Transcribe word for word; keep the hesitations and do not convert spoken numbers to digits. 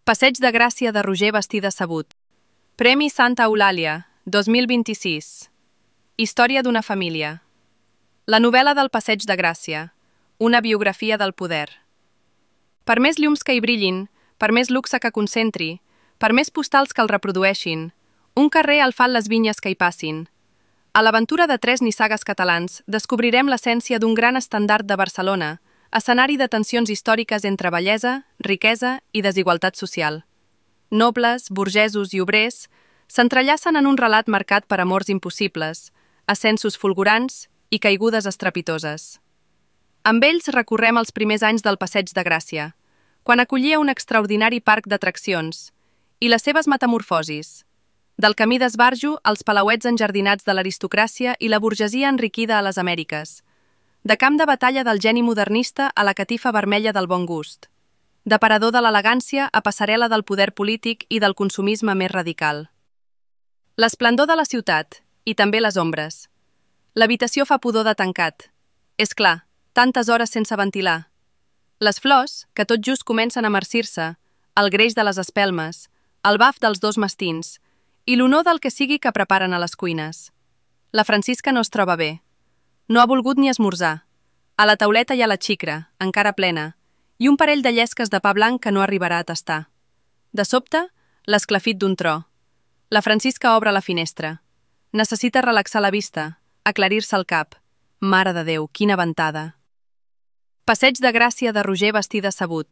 Passeig de Gràcia de Roger Bastí de Sabut. Premi Santa Eulàlia, dos mil vint-i-sis. Història d'una família. La novel·la del Passeig de Gràcia. Una biografia del poder. Per més llums que hi brillin, per més luxe que concentri, per més postals que el reprodueixin, un carrer el fan les vinyes que hi passin. A l'aventura de tres nissagues catalans descobrirem l'essència d'un gran estandard de Barcelona, escenari de tensions històriques entre bellesa, riquesa i desigualtat social. Nobles, burgesos i obrers s'entrellacen en un relat marcat per amors impossibles, ascensos fulgurants i caigudes estrepitoses. Amb ells recorrem els primers anys del Passeig de Gràcia, quan acollia un extraordinari parc d'atraccions, i les seves metamorfosis, del camí d'esbarjo als palauets enjardinats de l'aristocràcia i la burgesia enriquida a les Amèriques, de camp de batalla del geni modernista a la catifa vermella del bon gust, de parador de l'elegància a passarel·la del poder polític i del consumisme més radical. L'esplendor de la ciutat, i també les ombres. L'habitació fa pudor de tancat. És clar, tantes hores sense ventilar. Les flors, que tot just comencen a marcir-se, el greix de les espelmes, el baf dels dos mastins i l'olor del que sigui que preparen a les cuines. La Francisca no es troba bé. No ha volgut ni esmorzar. A la tauleta hi ha la xicra, encara plena, i un parell de llesques de pa blanc que no arribarà a tastar. De sobte, l'esclafit d'un tro. La Francisca obre la finestra. Necessita relaxar la vista, aclarir-se el cap. Mare de Déu, quina ventada! Passeig de Gràcia de Roger Bastí de Sabut.